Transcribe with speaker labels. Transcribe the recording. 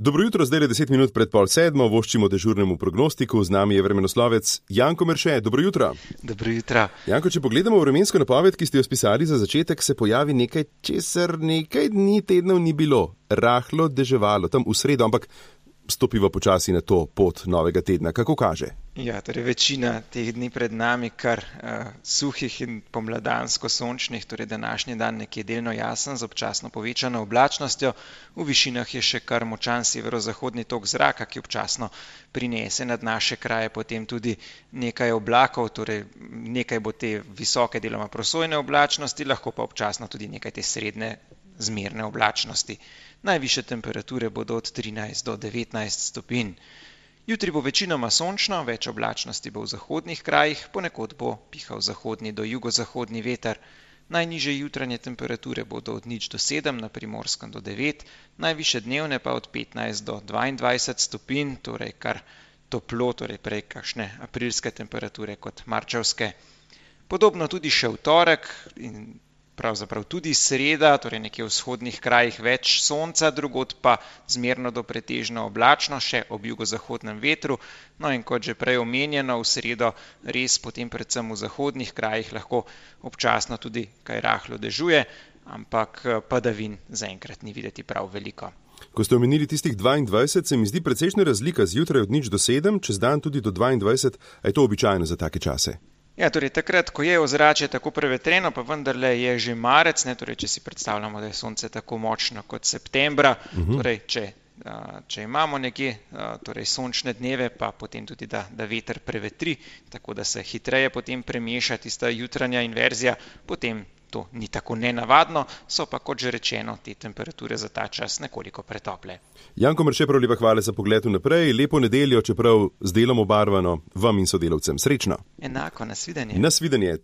Speaker 1: Dobro jutro, zdaj je 10 minut pred 6:30, voščimo dežurnemu prognostiku, z nami je vremenoslovec Janko Merše. Dobro jutro.
Speaker 2: Dobro jutro.
Speaker 1: Janko, če pogledamo vremensko napoved, ki ste jo spisali za začetek, se pojavi nekaj, česar nekaj dni, tednov ni bilo. Rahlo deževalo, tam v sredo, ampak stopiva počasi na to pot novega tedna. Kako kaže?
Speaker 2: Ja, torej večina teh dni pred nami kar suhih in pomladansko sončnih, torej današnji dan nekje delno jasen z občasno povečano oblačnostjo. V višinah je še kar močan severozahodni tok zraka, ki občasno prinese nad naše kraje potem tudi nekaj oblakov, torej nekaj bo te visoke deloma prosojne oblačnosti, lahko pa občasno tudi nekaj te srednje zmerne oblačnosti. Najvišje temperature bodo od 13 do 19 stopinj. Jutri bo večinoma sončno, več oblačnosti bo v zahodnih krajih, ponekod bo pihal zahodni do jugozahodni veter. Najnižje jutranje temperature bodo od 0 do 7, na Primorskem do 9, najvišje dnevne pa od 15 do 22 stopinj, torej kar toplo, torej prej kakšne aprilske temperature kot marčevske. Podobno tudi še v torek in pravzaprav tudi sreda, torej nekje v vzhodnih krajih več sonca, drugod pa zmerno do pretežno oblačno, še ob jugozahodnem vetru. No in kot že prej omenjeno, v sredo res potem predvsem v zahodnih krajih lahko občasno tudi kaj rahlo dežuje, ampak padavin zaenkrat ni videti prav veliko.
Speaker 1: Ko ste omenili tistih 22, se mi zdi precejšnja razlika zjutraj od 0 do 7, čez dan tudi do 22, a je to običajno za take čase?
Speaker 2: Ja, torej takrat, ko je ozračje tako prevetreno, pa vendarle je že marec, torej če si predstavljamo, da je sonce tako močno kot septembra, torej če imamo nekje torej sončne dneve, pa potem tudi, da veter prevetri, tako da se hitreje potem premeša tista jutranja inverzija, potem to ni tako nenavadno, so pa, kot že rečeno, te temperature za ta čas nekoliko pretople.
Speaker 1: Janko Merše, prav lepa hvala za pogled vnaprej, lepo nedeljo, čeprav z delom obarvano, vam in sodelavcem. Srečno!
Speaker 2: Enako, nasvidenje.
Speaker 1: Nasvidenje.